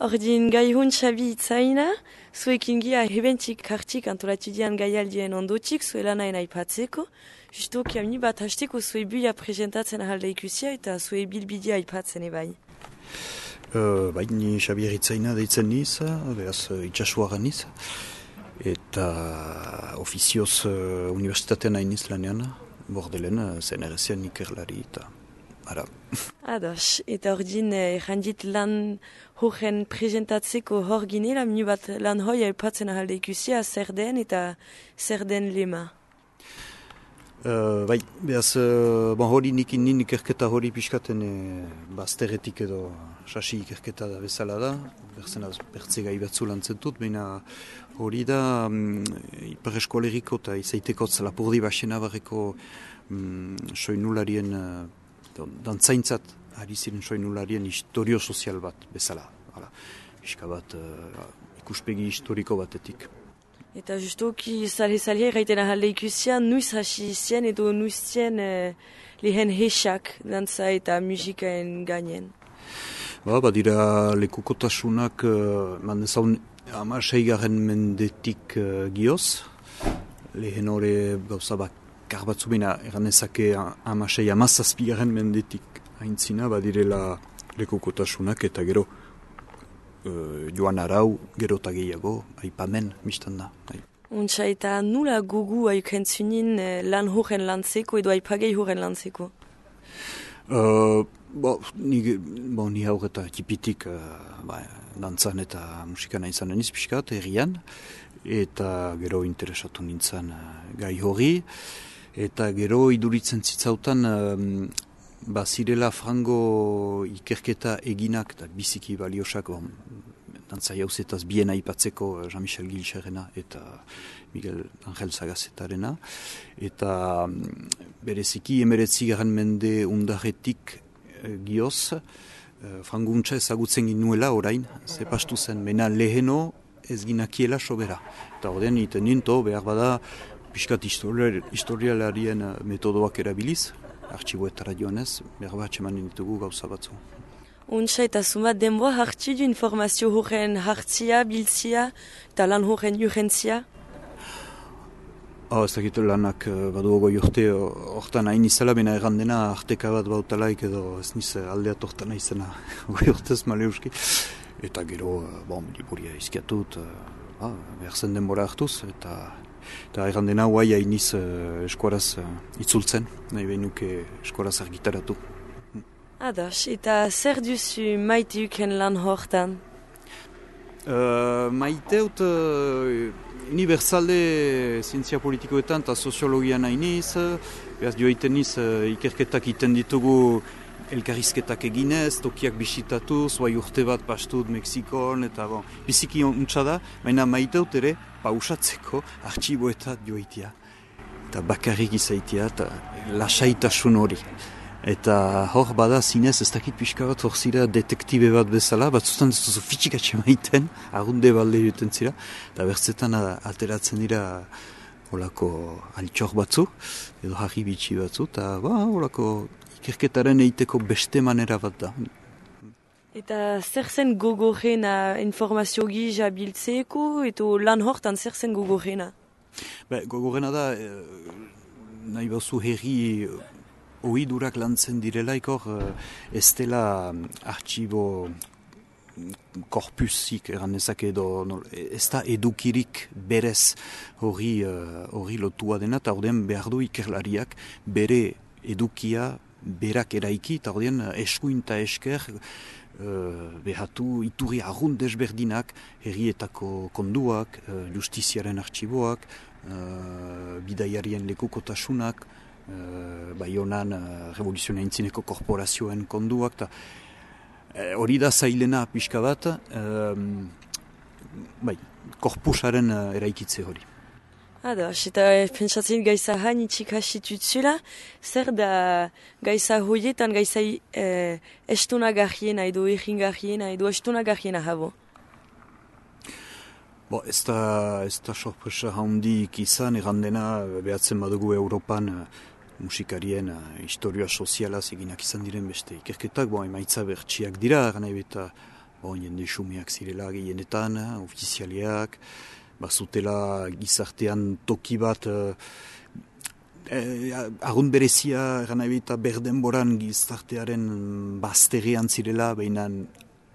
Ordin gaihun Xabi itzaina, zuekin gia hebentik hartik antolatu dian gaialdien ondotik, zuela nahi aipatzeko. Justo kiamni bat hasteko zue buia presentatzen ahalda ikusia eta zue bilbidia aipatzen ebai. Bai, ni Xabi itzaina deitzen niz, beraz itxasuaran niz. Eta ofizioz universitatean hain niz lanean, bordelen zenerezian ikerlari eta ara. Ados, eta ordin errandit lan horren presentatzeko hor ginela, minu bat lan hoi aipatzen ahalda ikusia, zer den eta zer den lema. Bai, behaz, hori nin ikerketa hori pixkaten bazterretik edo sasi ikerketa da bezala da, bertze gai batzu lantzentut, baina hori da Ipar Eskoleriko eta izaiteko Lapurdi Baxena barreko soinularien, dantzaintzat ari ziren soinularien historio sozial bat bezala, pixka bat ikuspegi historiko batetik. Eta justuki zale-zale gaiten ahalde ikusia, nuiz hasi zien edo nuiz zien lehen hesak dantza eta musikaen gainen. Badira lekukotasunak mandezaun 16. mendetik gioz. Lehen hori gauza bakar batzu bina eranezake 16-17. mendetik haintzina badirela lekukotasunak eta gero joan arau, gero eta gehiago, aipamen, mistan da. Untsa eta nula gugu aukentzunin lan horren lantzeko edo aipagei horren lantzeko? Ni haur eta tipitik dantzan eta musikan aintzan eniz pixkat, herrian, eta gero interesatu nintzen gai hori, eta gero iduritzen zitzautan bazirela frango ikerketa eginak eta biziki baliosak dantza jauzetaz bien aipatzeko Jean-Michel Gilxerrena eta Miguel Angel Zagazetarena eta bereziki 19. mende undarretik gioz franguntza ezagutzen ginuela orain, zepastu zen, mena leheno ez ginakiela sobera eta ordean iten ninto behar bada piskat historialarien metodoak erabiliz artxiboetara joanez, behar bat txemanen ditugu gauza batzu. Untsa eta zumat denboa hartzi du informazio horren hartzia, biltzia eta lan horren urgentzia? Ez dakit lanak badu ogoi urte hortan hain izala, bena errandena arteka bat bautalaik edo ez niz aldeat hortan izena ogoi urtez maleuski. Eta gero, liburia izkiatut, behar zen denbora hartuz, eta errandena guai hainiz eskuaraz itzultzen, nahi behinuke eskuaraz argitaratu. Ados, eta zer duzu maiteuken lan hortan? Maiteut unibertsale zientzia politikoetan eta soziologian hainiz, behaz joiten niz ikerketak iten ditugu elkarrizketak eginez, tokiak bisitatuz, bai urte bat pastut Mexikon, eta biziki untsa da, baina maiteut ere pausatzeko artxiboetat joitia. Eta bakarrik izaitia, eta lasaitasun hori. Eta hor bada zinez, ez dakit pixka bat hor zira detektibe bat bezala, batzutan ez duzu fitxikatxe maiten, argunde balde juten zira, eta bertzetan ateratzen dira holako altxor batzu, edo harri bitxi batzu, eta holako ikerketaren eiteko beste manera bat da. Eta zer zen gogorrena informazio gisa biltzeko, eta lan hortan zer zen gogorrena? Gogorrena da, nahi bauzu herri ohidurak lantzen direlaik hor, ez dela artxibo korpusik eranezak edo, ez da edukirik berez hori lotua dena, eta ordean behar du ikerlariak bere edukia berak eraiki, eta ordean eskuin eta esker behatu iturri arrunt desberdinak, herrietako konduak, justiziaren artxiboak, bidaiarien lekukotasunak, Baionan revoluzioa intzineko korporazioen konduak, eta hori da zailena pixka bat, korpusaren eraikitze hori. Ados, eta pentsatzen gaiza hain itxik hasitutzula, zer da gaiza hoietan gaiza estonagarriena edo erringarriena edo estonagarriena habo? Ez da sorpresa handik izan, errandena behatzen badugu Europan musikarien historia sozialaz eginak izan diren beste ikerketak, emaitza bertsiak dira, gana eta jende xumeak zirela gehienetan, ofizialiak, bazutela gizartean toki bat, arrunt berezia, gana ebita berdenboran gizartearen bazterrean zirela, behinan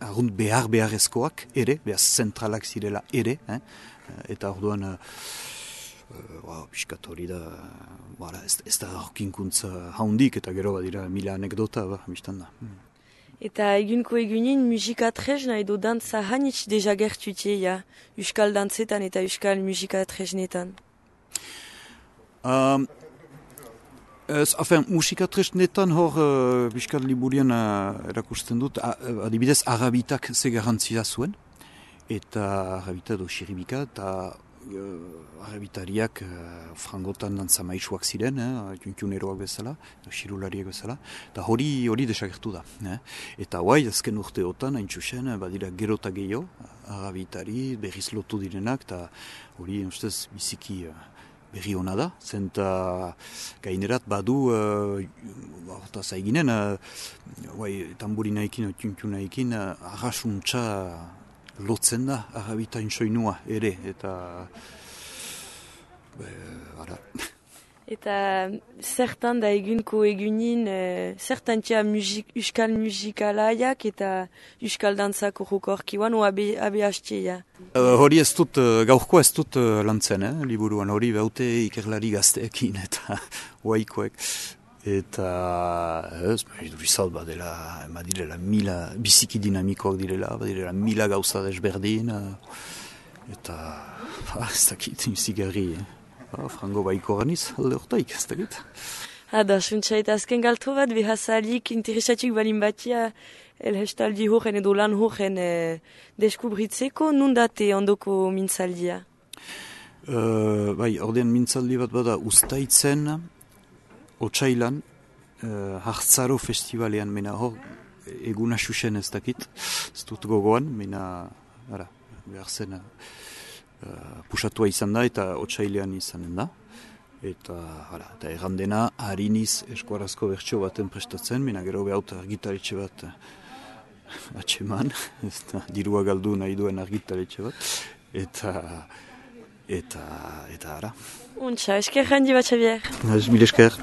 arrunt beharrezkoak ere, behar zentralak zirela ere, eta orduan, piskat hori da, ez da horkinkuntza haundik, eta gero badira mila anekdota, biztan da. Eta egunko egunin musika tresna edo dantza hanitz deja gertutia, euskal dantzetan eta euskal musika tresnetan? Musika tresnetan hor piskat liburian erakusten dut, adibidez arabitak ze garantzia zuen, eta arabita edo xiribika, eta arabitariak frangotan dantza maisuak ziren, juntuneroak bezala, xirulariak bezala, eta hori desagertu da. Eta guai, azken urteotan, hain txusen, badira gero eta gehiago, arabitari berriz lotu direnak, eta hori, ustez, biziki berri hona da, zenta gainerat badu, eta zaiginen, tamburinaekin, juntunaekin, arrasuntza lotzen da, arabitain soinua ere, eta Eta zertan da egunko egunin, zertan tia euskal musikalaiak eta euskal dantzako jokorkiwan, o abe hastia? Hori ez dut, gaurko ez dut lantzen, liburuan hori behaute ikerlari gazteekin eta oaikoek. Eta ez, durizalt badirela mila, biziki dinamikoak direla, badirela mila gauza desberdin, eta ez dakit, zigarri, frango baiko ganiz, alde hortaik, ez dakit. Da, suntsa eta azken galto bat, behazalik interesatik balin batia, elhestaldi horren edo lan horren deskubritzeko, nundate ondoko mintzaldia? Ordean mintzaldi bat bada ustaitzen, Otsailan, Hartzaro festivalean, mena hor, eguna xuxen ez dakit, ez dut gogoan, mena, behar zen, pusatua izan da eta Otsailean izanen da. Eta errandena, hariniz eskuarazko bertso baten prestatzen, mena gero behauta argitaletxe bat atxeman, dirua galdu nahi duen argitaletxe bat, eta ara. Untxa, esker handi bat, Xavier. Mil esker.